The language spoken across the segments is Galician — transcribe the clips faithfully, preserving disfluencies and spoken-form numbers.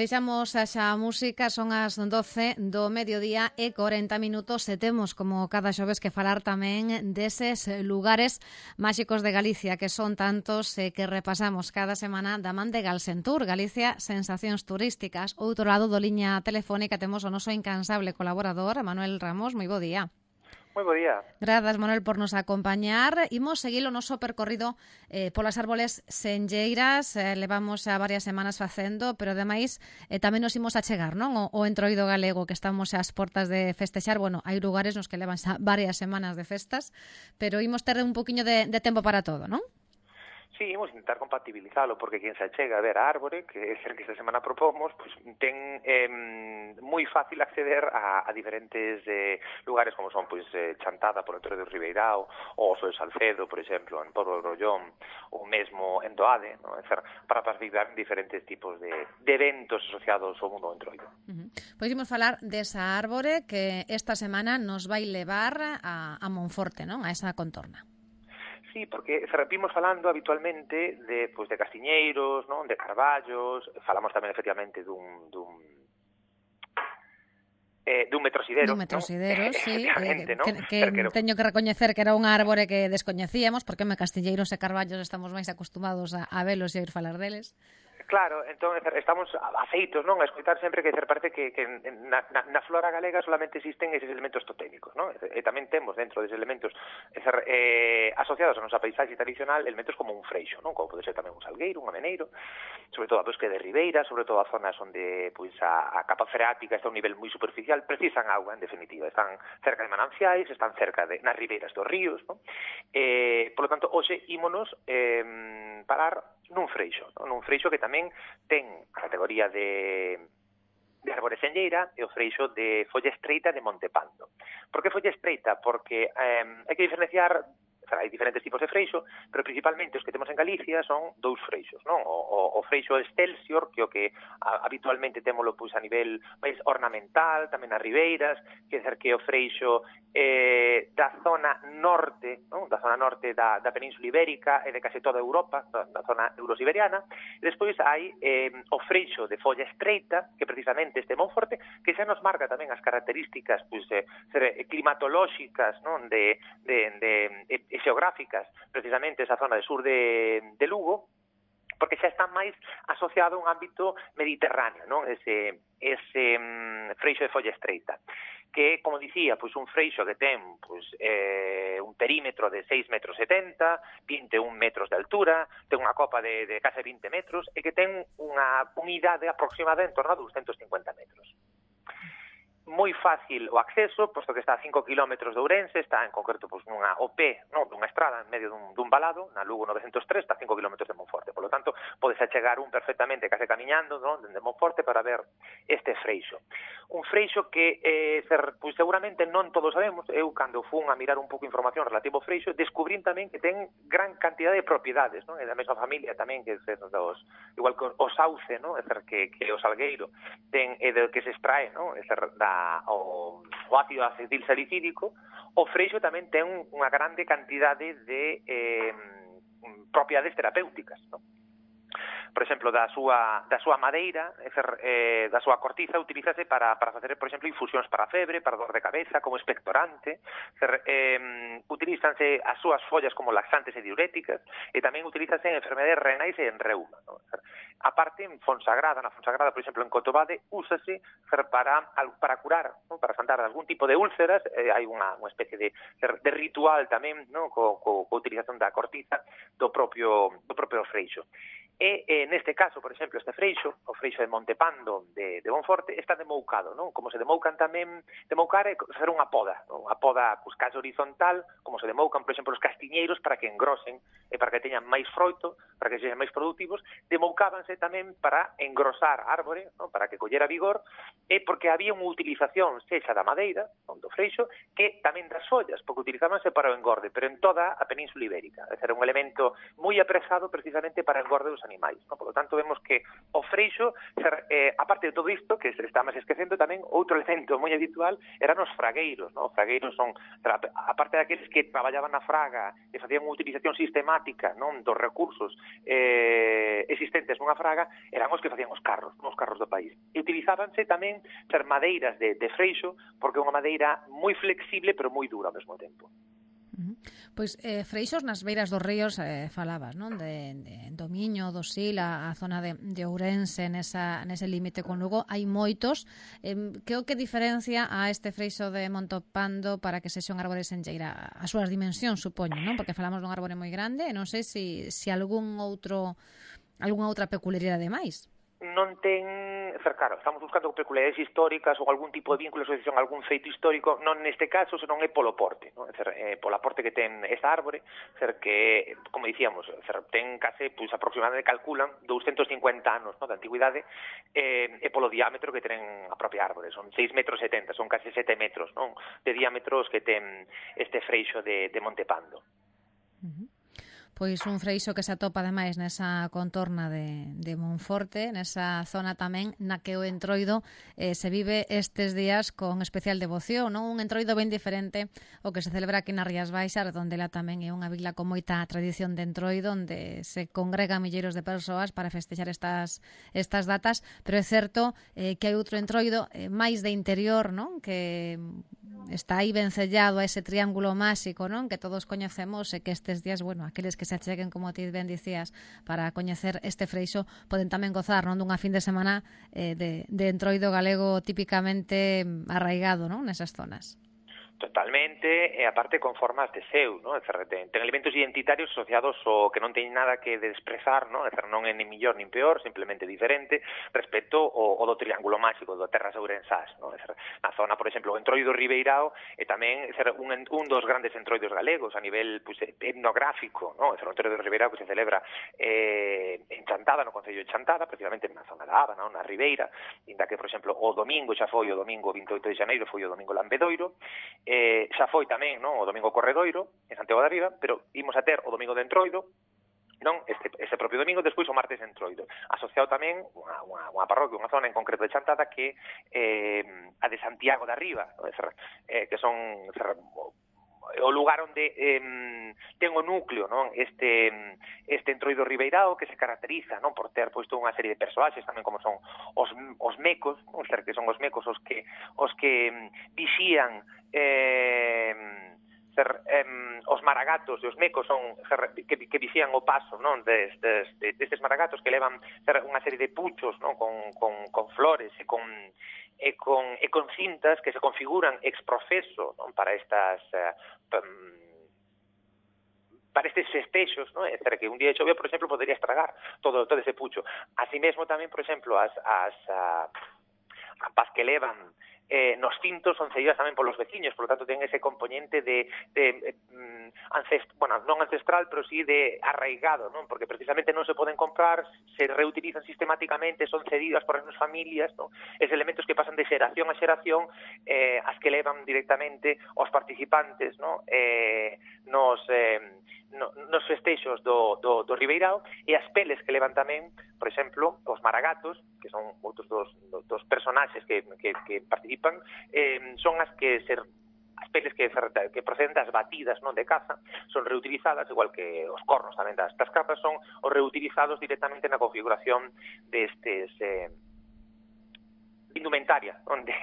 Deixamos xa a música, son as doce do mediodía e cuarenta minutos e temos, como cada xoves, que falar tamén deses lugares máxicos de Galicia, que son tantos e que repasamos cada semana da man de Galsentur, Galicia Sensacións Turísticas. Outro lado do liña telefónica temos o noso incansable colaborador, Manuel Ramos. Moi bo día. Moi bo día. Grazas, Manuel, por nos acompañar. Imos seguir o noso percorrido eh, polas árboles senlleiras. Eh, levamos a varias semanas facendo, pero ademais eh, tamén nos imos a chegar, non? O, o entroido galego, que estamos ás portas de festexar. Bueno, hai lugares nos que levan xa varias semanas de festas, pero imos ter un poquinho de, de tempo para todo, non? Sí, imos intentar compatibilizalo, porque quen se achega a ver a árbore, que é ser que esta semana propomos, pues, ten eh, moi fácil acceder a, a diferentes eh, lugares como son pues, eh, Chantada por Entroido do Ribeirao, ou Oso de Salcedo, por exemplo, en Porto do Grollón, ou mesmo en Doade, ¿no? É ser, para participar en diferentes tipos de, de eventos asociados ao mundo do entroido. Uh-huh. Pois imos falar desa árbore que esta semana nos vai levar a, a Monforte, non? A esa contorna. Sí, porque repimos falando habitualmente de, pues, de castiñeiros, non? De carballos, falamos tamén efectivamente dun, dun eh, dun metrosidero, dun metrosidero, ¿no? Sí, eh, ¿no? que, que Pero, teño que recoñecer que era unha árbore que descoñecíamos, porque me castilleiros e carballos estamos máis acostumados a, a velos e a oír falar deles. Claro, entón estamos afeitos, non, a escoitar sempre que parece que, que na, na, na flora galega solamente existen eses elementos totémicos, non? E tamén temos dentro deses elementos eh, asociados a nosa paisaxe tradicional elementos como un freixo, non? Como pode ser tamén un salgueiro, un ameneiro, sobre todo a bosque de ribeira, sobre todo a zonas onde pois, a, a capa freática está a un nivel moi superficial, precisan agua, en definitiva, están cerca de mananciais, están cerca de nas ribeiras dos ríos, non? Eh, por lo tanto, hoxe ímonos eh, parar nun freixo, non? Nun freixo que tamén ten a categoría de, de árbore senlleira e o freixo de folla estreita de Montepando. Por que folla estreita? Porque eh, hai que diferenciar, hai diferentes tipos de freixo, pero principalmente os que temos en Galicia son dous freixos, non? O, o, o freixo excelsior, que o que a, habitualmente témolo pois a nivel máis ornamental, tamén nas ribeiras, que é que o freixo eh, da zona norte, non? Da zona norte da, da Península Ibérica e de case toda Europa, da, da zona eurosiberiana, e despois hai eh, o freixo de folla estreita, que precisamente este Monforte, que xa nos marca tamén as características pois, eh, climatolóxicas, non? De, de, de, de xeográficas, precisamente esa zona de sur de, de Lugo, porque xa está máis asociado a un ámbito mediterráneo, non? Ese, ese um, freixo de folla estreita, que, como dicía, pois un freixo que ten pois, eh, un perímetro de seis metros setenta, vinte e un metros de altura, ten unha copa de, de case vinte metros, e que ten unha unidade aproximada en torno a doscientos cincuenta metros. Moi fácil o acceso, posto que está a cinco kilómetros de Ourense, está en concreto pois, nunha O P, non, dunha estrada en medio dun, dun valado, na Lugo novecentos tres, está a cinco kilómetros de Monforte. Por lo tanto, podes achegar un perfectamente case camiñando, non, dende Monforte para ver este freixo. Un freixo que eh, ser, pois, seguramente non todos sabemos. Eu, cando fun a mirar un pouco de información relativo ao freixo, descubrín tamén que ten gran cantidad de propiedades, non? E da mesma familia tamén, que ser dos, igual que o sauce, non? É ser que, que o salgueiro ten, e do que se extrae, non? É ser da O, o ácido acetil salicídico, o freixo tamén ten unha grande cantidade de eh, propiedades terapéuticas, non? Por exemplo, da súa, da súa madeira, eh, da súa cortiza, utilízase para, para facer, por exemplo, infusións para febre, para dor de cabeza, como expectorante, eh, utilízanse as súas follas como laxantes e diuréticas, e tamén utilízase en enfermedades renais e en reuma, ¿no? A parte, en Fonsagrada, na Fonsagrada, por exemplo, en Cotobade, úsase para, para curar, ¿no? Para santar algún tipo de úlceras, eh, hai unha, unha especie de, de ritual tamén, ¿no? Co, co, co utilización da cortiza do propio, do propio freixo. E, eh, neste caso, por exemplo, este freixo, o freixo de Montepando de, de Monforte, está demoucado, non? Como se demoucan tamén, demoucar é facer unha poda, non? Unha poda, pues, case horizontal, como se demoucan, por exemplo, os castiñeiros para que engrosen e para que teñan máis froito, para que sexan máis productivos, demoucábanse tamén para engrosar a árbore, non? Para que collera vigor, e porque había unha utilización sexa da madeira, non? Do freixo, que tamén das follas, porque utilizábanse para o engorde, pero en toda a Península Ibérica. É ser un elemento moi aprezado precisamente para o engorde dos animais, non? Por lo tanto, vemos que o freixo, eh, aparte de todo isto, que se está máis esquecendo tamén, outro elemento moi habitual eran os fragueiros, non? Os fragueiros son, aparte daqueles que traballaban na fraga e facían unha utilización sistemática, non, dos recursos eh, existentes nunha fraga, eran os que facían os carros, non? Os carros do país. E utilizábanse tamén ser madeiras de, de freixo, porque é unha madeira moi flexible, pero moi dura ao mesmo tempo. Pois eh, freixos nas beiras dos ríos eh, falabas, non? De, de do Miño, do Sil, a, a zona de, de Ourense, nesa, nese límite con Lugo, hai moitos. Eh, que o que diferencia a este freixo de Montopando para que sexa un árbore senlleira? As súas dimensións, supoño, non? Porque falamos dun árbore moi grande e non sei se si, si algún outro, algunha outra peculiaridade máis. Non ten, claro, estamos buscando peculiaridades históricas ou algún tipo de vínculo, asociación a algún feito histórico, non neste caso, senón é polo porte, non? É dizer, é polo aporte que ten esta árbore, ser que, como dicíamos, ser, ten case, pois, aproximadamente calculan doscientos cincuenta anos, non, de antigüidade, e, e polo diámetro que ten a propia árbore, son seis metros setenta, son case sete metros, non, de diámetros que ten este freixo de, de Montepando. Uh-huh. Pois un freixo que se atopa ademais nesa contorna de, de Monforte, nesa zona tamén na que o entroido eh, se vive estes días con especial devoción, non? Un entroido ben diferente o que se celebra aquí nas Rías Baixas, onde lá tamén é unha vila con moita tradición de entroido, onde se congregan milleiros de persoas para festexar estas, estas datas, pero é certo eh, que hai outro entroido eh, máis de interior, non? Que está aí vencellado a ese triángulo máxico, non? Que todos coñecemos e que estes días, bueno, aqueles que se acheguen, como ti ben dicías, para coñecer este freixo, poden tamén gozar, non, dunha fin de semana eh, de, de entroido galego típicamente arraigado, non, nesas zonas. Totalmente, e aparte con formas de seu, non? Ten, ten elementos identitarios asociados ao que non teñen nada que desprezar, non? É non é ni millor nin peor, simplemente diferente respecto ao, ao do triángulo máxico, do Terras Ourensás, non? Na zona, por exemplo, o entroido Ribeirao é tamén ser, un, un dos grandes entroidos galegos a nivel pues, etnográfico, non? O entroido Ribeirao que se celebra eh, en Chantada, no Concello de Chantada, precisamente na zona da Aba, non? Na Ribeira, inda que, por exemplo, o domingo xa foi o domingo vinte e oito de xaneiro, foi o domingo Lambedoiro, Eh, xa foi tamén, non, o domingo Corredoiro en Santiago da Riba, pero imos a ter o domingo de Entroido, non, este, este propio domingo, despois o martes de Entroido, asociado tamén unha, unha, unha parroquia, unha zona en concreto de Chantada que eh, a de Santiago da Riba, non? Eh, que son o lugar onde eh, ten o núcleo, non, este este entroido Ribeirao, que se caracteriza, non, por ter posto unha serie de persoaxes tamén como son os, os mecos, non, ser que son os mecos os que os que vixían eh, ser, eh, os maragatos e os mecos son ser, que, que vixían o paso, non, destes, destes maragatos que levan ser, unha serie de puchos, non, con, con, con flores e con e con, e con cintas que se configuran ex profeso, non, para estas eh, para estes festexos, non? É dizer, que un día de chovia, por exemplo, podería estragar todo todo ese pucho. Así mesmo tamén, por exemplo, as as a, a paz que levan eh, nos cintos son cedidas tamén polos veciños, por lo tanto ten ese componente de, de eh, ancest bueno, non ancestral, pero sí de arraigado, non? Porque precisamente non se poden comprar, se reutilizan sistemáticamente, son cedidas por as nosas familias, non? Es elementos que pasan de xeración a xeración, eh, as que levan directamente os participantes, non? Eh, nos eh, no, nos festexos do, do, do Ribeirao, e as peles que levan tamén, por exemplo, os maragatos, que son outros dos, dos personaxes que, que, que participan, eh, son as que ser as peles que, que proceden das batidas, non, de caza, son reutilizadas, igual que os cornos tamén das, das capas, son os reutilizados directamente na configuración destes eh, indumentaria onde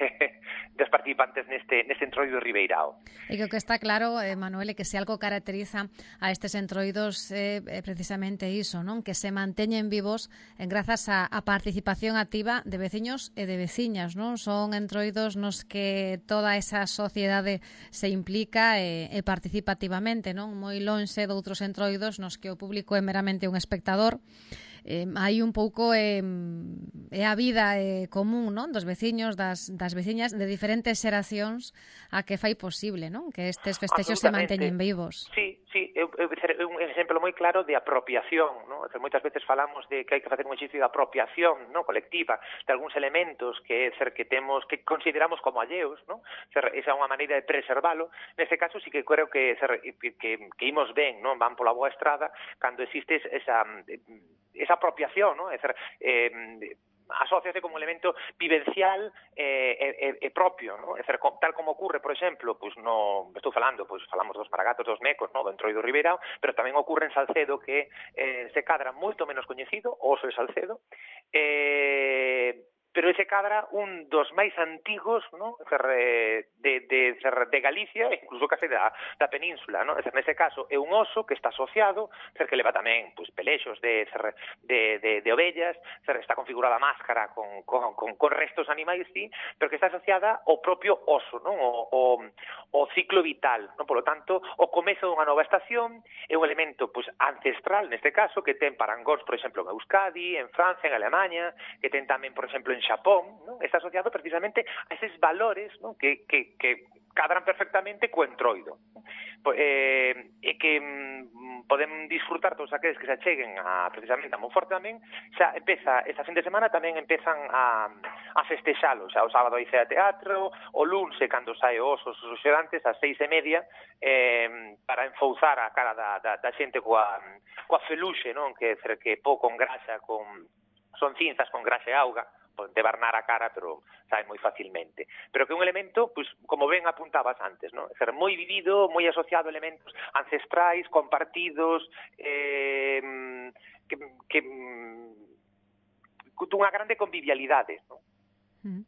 dos participantes neste, neste entroido Ribeirao. E que o que está claro, eh, Manuel, é que se algo caracteriza a estes entroidos é eh, precisamente iso, non? Que se manteñen vivos en grazas a, a participación activa de veciños e de veciñas, non? Son entroidos nos que toda esa sociedade se implica e, e participa activamente, non? Moi lonxe de outros entroidos nos que o público é meramente un espectador. Eh, hai un pouco eh, é a vida eh, común, non, dos veciños, das, das veciñas de diferentes xeracións a que fai posible, non, que estes festexos se manteñen vivos. Sí, sí, é, é un exemplo moi claro de apropiación, non? Moitas veces falamos de que hai que facer un exercicio de apropiación, non, colectiva de algúns elementos que ser que temos que consideramos como alleos, non? Ser, esa é unha maneira de preservalo. Neste caso sí que creo que ser, que, que, que imos ben, non, van pola boa estrada cando existe esa esa apropiación, ¿no? É dicir, eh, asóciase como elemento vivencial e eh, eh, eh, propio, ¿no? É dicir, tal como ocurre, por exemplo, pois no, estou falando, pois falamos dos Maragatos, dos Mecos, ¿no? Do Entroido Ribeirao, pero tamén ocurre en Salcedo que eh, se cadra moito menos coñecido, o Oso de Salcedo, eh, pero ese cadra un dos máis antigos, ¿no? de, de, de Galicia, incluso case da, da península, ¿no? Nese caso é un oso que está asociado, que leva tamén pues, pelexos de, de, de, de ovellas, está configurada a máscara con, con, con, con restos animais, sí, pero que está asociada ao propio oso, ¿no? O, o, o ciclo vital, ¿no? Por lo tanto, o comezo dunha nova estación é un elemento pues, ancestral, neste caso, que ten parangóns, por exemplo, en Euskadi, en Francia, en Alemania, que ten tamén, por exemplo, en Xapón, ¿no? Está asociado precisamente a eses valores, ¿no? que, que, que cadran perfectamente co entroido. Eh, e que mm, poden disfrutar todos aqueles que se acheguen a, precisamente a Monforte tamén, xa empeza, esta fin de semana tamén empezan a, a festexalo, xa o sábado hai cea teatro, o lunes cando sae Osos os xerantes, ás seis e media, eh, para enfouzar a cara da, da, da xente coa, coa feluxe, non? Que, que pouco con grasa, con, son cinzas con grasa e auga, de barnar a cara, pero sabe moi facilmente. Pero que é un elemento, pues, como ben apuntabas antes, ¿no? É ser moi vivido, moi asociado a elementos ancestrais, compartidos, eh, que, que dunha grande convivialidade, ¿no? Mm.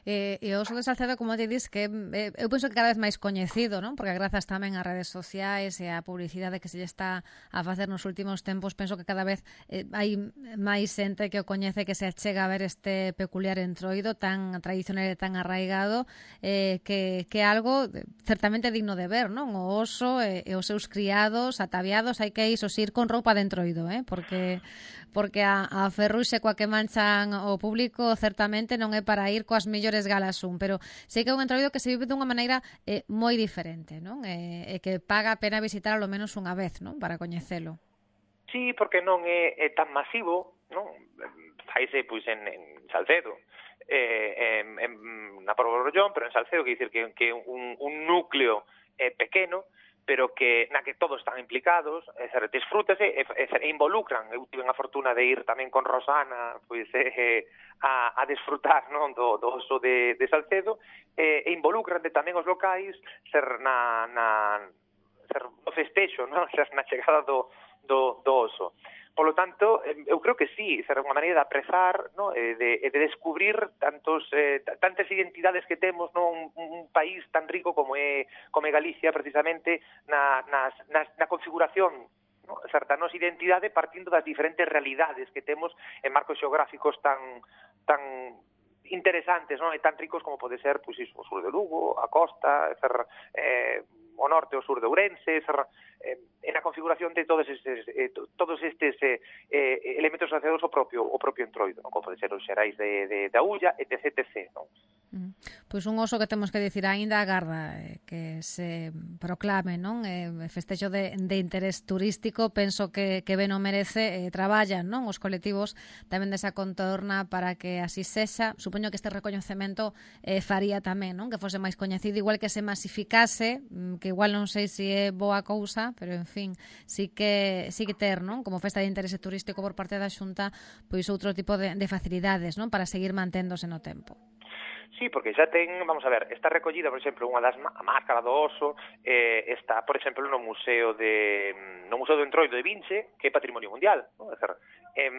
Eh, e o Oso de Salcedo, como te dis, que eh, eu penso que cada vez máis coñecido, non? Porque grazas tamén ás redes sociais e á publicidade que se lle está a facer nos últimos tempos, penso que cada vez eh, hai máis xente que o coñece, que se achega a ver este peculiar entroido tan tradicional e tan arraigado, eh, que, que é algo certamente digno de ver, non? O oso e, e os seus criados ataviados, hai que iso ir con roupa de entroido, eh? Porque porque a, a ferruxe coa que manchan o público certamente non é para ir coas mellores galas un, pero sei que é un entroido que se vive dunha maneira eh, moi diferente, non? E, e que paga a pena visitar ao menos unha vez, non? Para coñecelo. Sí, porque non é, é tan masivo, non? Faise, pois, en, en Salcedo, eh, en, en, na Porborrollón, pero en Salcedo, que dicir que, que un, un núcleo eh, pequeno, pero que na que todos están implicados, é ser, disfrútese e, e, e involucran. Eu tive a fortuna de ir tamén con Rosana, pois, eh, a, a disfrutar, non, do, do oso de, de Salcedo, eh, e involucran de tamén os locais ser na, na ser no festexo, non? Ser na chegada do, do, do oso. Por lo tanto, eu creo que sí, será unha maneira de aprezar, ¿no? e de, de descubrir tantos eh, tantas identidades que temos, ¿no? un, un país tan rico como é, como é Galicia, precisamente, na, nas, nas, na configuración, ¿no? Certa nosa identidade partindo das diferentes realidades que temos en marcos xeográficos tan tan interesantes, ¿no? E tan ricos como pode ser, pois, iso, o sur de Lugo, a costa, ser, eh, o norte, o sur de Ourense, ser, eh, en a configuración de todos estes, eh, todos estes eh, eh, elementos asociados ao propio, ao propio entroido, ¿no? Como pode ser os xerais de, de, de Aulla, etc, etc, ¿no? Mm. Pois un oso que temos que dicir aínda agarda eh, que se proclame, non? Eh, festexo de, de interés turístico, penso que, que ben o merece, eh, traballan, non? Os colectivos tamén desa contorna para que así sexa. Supoño que este recoñecemento eh, faría tamén, non? Que fose máis coñecido, igual que se masificase, que igual non sei se é boa cousa, pero en fin, sí que sí que ter, non? Como festa de interese turístico por parte da Xunta, pois outro tipo de, de facilidades, non? Para seguir manténdose no tempo. Sí, porque xa ten, vamos a ver, está recollida, por exemplo, unha das a máscara do oso, eh, está, por exemplo, no Museo de no Museo do Entroido de Vinche, que é Patrimonio Mundial, non? É dizer, eh,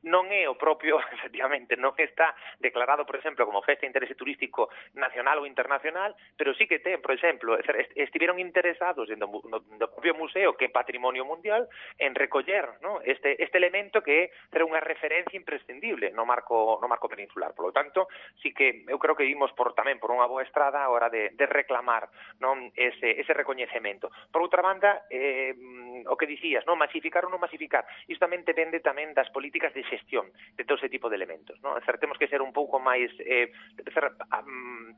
non é o propio, efectivamente, non está declarado, por exemplo, como festa de interese turístico nacional ou internacional, pero sí que ten, por exemplo, é dizer, estiveron interesados no, no, no propio museo, que é Patrimonio Mundial, en recoller, ¿no? este este elemento que é unha referencia imprescindible no marco no marco peninsular. Por lo tanto, sí que eu creo que vimos por tamén por unha boa estrada a hora de, de reclamar, non, ese, ese recoñecemento. Por outra banda, eh, o que dicías, non, masificar ou non masificar, isto tamén depende tamén das políticas de xestión de todo ese tipo de elementos, non? Cer, temos que ser un pouco máis eh, ser, um,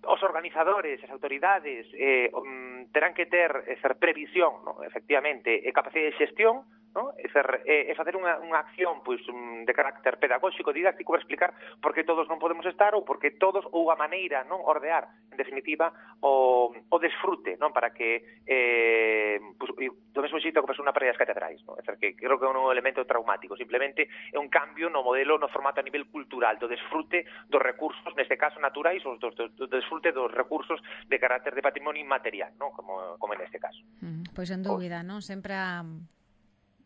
os organizadores, as autoridades eh, um, terán que ter ser previsión, non? Efectivamente, e capacidade de xestión, non? É, é, é facer unha, unha acción pois, de carácter pedagóxico, didáctico, para explicar por que todos non podemos estar ou por que todos, ou a maneira, non, ordear, en definitiva, o, o desfrute, non, para que eh, pues, do mesmo xeito que pasou na parede das catedrais, non? É dizer, que creo que é un elemento traumático, simplemente é un cambio no modelo, no formato a nivel cultural, do desfrute dos recursos, neste caso naturais, ou do, do, do desfrute dos recursos de carácter de patrimonio inmaterial, non? Como, como neste caso. Mm, pois sen dúbida, non? Sempre a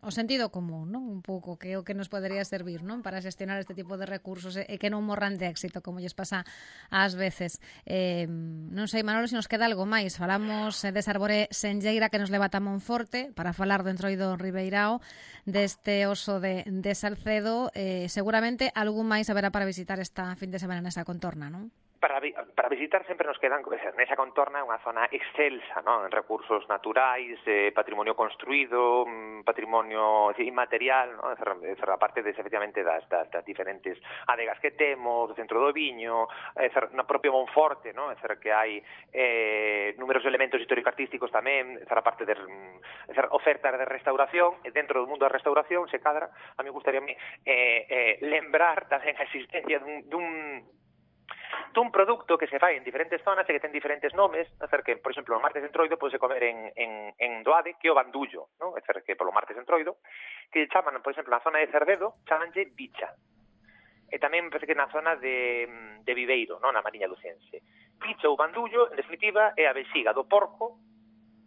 o sentido común, non? Un pouco que é o que nos podería servir, non? Para xestionar este tipo de recursos e que non morran de éxito, como lles pasa ás veces. Eh, non sei, Manolo, se nos queda algo máis. Falamos desa árbore senlleira que nos leva a Monforte para falar do Entroido Ribeirao, deste oso de, de Salcedo. Eh, seguramente algún máis haberá para visitar esta fin de semana nesa contorna, non? Para, para visitar sempre nos quedan, nesa contorna, unha zona excelsa, non? En recursos naturais, eh, patrimonio construído, patrimonio inmaterial, non? A parte de, efectivamente, das, das, das diferentes adegas que temos, do centro do viño, eh, no propio Monforte, non? É que hai eh, numerosos elementos histórico-artísticos tamén, a parte de er, ofertas de restauración, e dentro do mundo da restauración, se cadra, a mí gustaría eh, eh, lembrar tamén a existencia dun, dun dun produto que se fai en diferentes zonas e que ten diferentes nomes, é dizer, que, por exemplo, o martes entroido pode comer en, en, en Doade, que é o bandullo, non? É dizer, que polo martes entroido, que chaman, por exemplo, na zona de Cervedo, chamanlle bicha. E tamén, parece que na zona de, de Viveiro, non? Na Mariña Lucense. Bicha ou bandullo, en definitiva, é a vexiga do porco,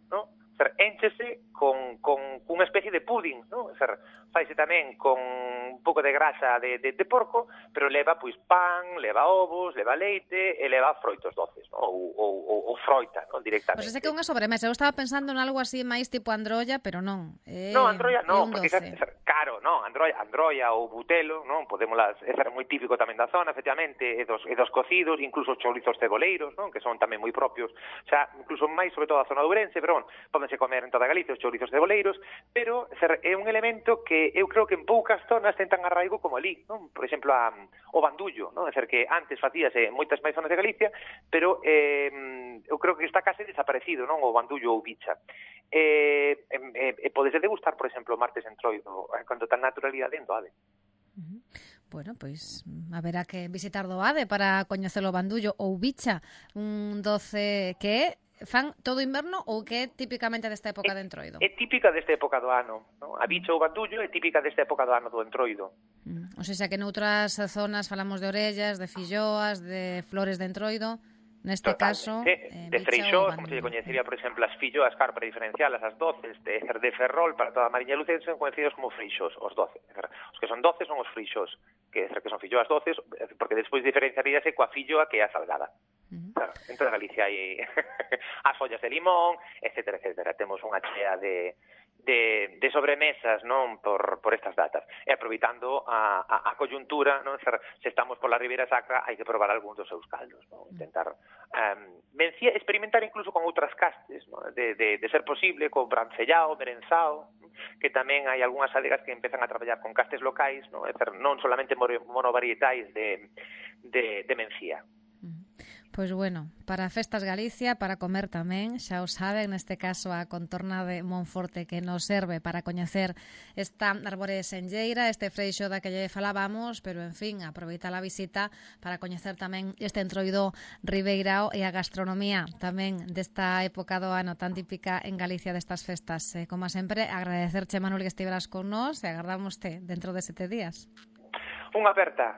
non? É dizer, énchese con, con unha especie de pudding, non? É dizer, faise tamén con un pouco de grasa de, de, de porco, pero leva pois pan, leva ovos, leva leite e leva froitos doces, non? Ou, ou, ou, ou froita, non? Directamente. Pois pues ese que é unha sobremesa. Eu estaba pensando en algo así máis tipo androlla, pero non. É, non, androlla non, porque doce. É caro, non? Androlla, androlla ou butelo, non? Podémolas, é moi típico tamén da zona, efectivamente, e dos, e dos cocidos, incluso os chourizos ceboleiros, non? Que son tamén moi propios, xa, incluso máis sobre todo a zona de Ourense, pero bon, pódense comer en toda Galicia os chourizos ceboleiros, pero é un elemento que eu creo que en poucas zonas ten tan arraigo como ali, non? Por exemplo, a, o bandullo, non? É dizer, que antes facíase en moitas máis zonas de Galicia, pero eh, eu creo que está case desaparecido, non? O bandullo ou bicha. E, e, e podese degustar, por exemplo, o martes entroido, con total naturalidade en Doade. Uh-huh. Bueno, pois haberá que visitar Doade para coñecer o bandullo ou bicha, un doce que fan todo inverno ou que é típicamente desta época é, de entroido? É típica desta época do ano, non? A bicha ou bandullo é típica desta época do ano do entroido. Mm. O sea, que noutras zonas falamos de orellas, de filloas, de flores de entroido. Neste caso, eh, de freixós, como se lle coñecería, por exemplo, as filloas, claro, para diferencialas, as doces, de, de ferrol para toda a Mariña Lucense, son coñecidos como freixós, os doce. Os que son doce son os freixós, que, que son filloas doces, porque despois diferenciaríase coa filloa que é a salgada. Uh-huh. Claro, en toda Galicia hai as follas de limón, etcétera, etcétera. Temos unha chea de... De, de sobremesas, non, por, por estas datas. E aproveitando a, a, a coyuntura, non, se estamos pola Ribeira Sacra, hai que probar algúns dos seus caldos, non? Intentar um, vencía, experimentar incluso con outras castes, non? De, de, de ser posible, con brancellao, merenzao, que tamén hai algunhas adegas que empezan a traballar con castes locais, non, non solamente monovarietais de, de, de mencía. Pois bueno, para Festas Galicia, para comer tamén, xa o saben, neste caso a contorna de Monforte que nos serve para coñecer esta árbore senlleira, este freixo da que lle falábamos, pero en fin, aproveita a visita para coñecer tamén este entroido ribeirao e a gastronomía tamén desta época do ano tan típica en Galicia destas festas. Eh, como sempre, agradecerche, Manuel, que estiveras con nós e agardámoste dentro de sete días. Unha aperta.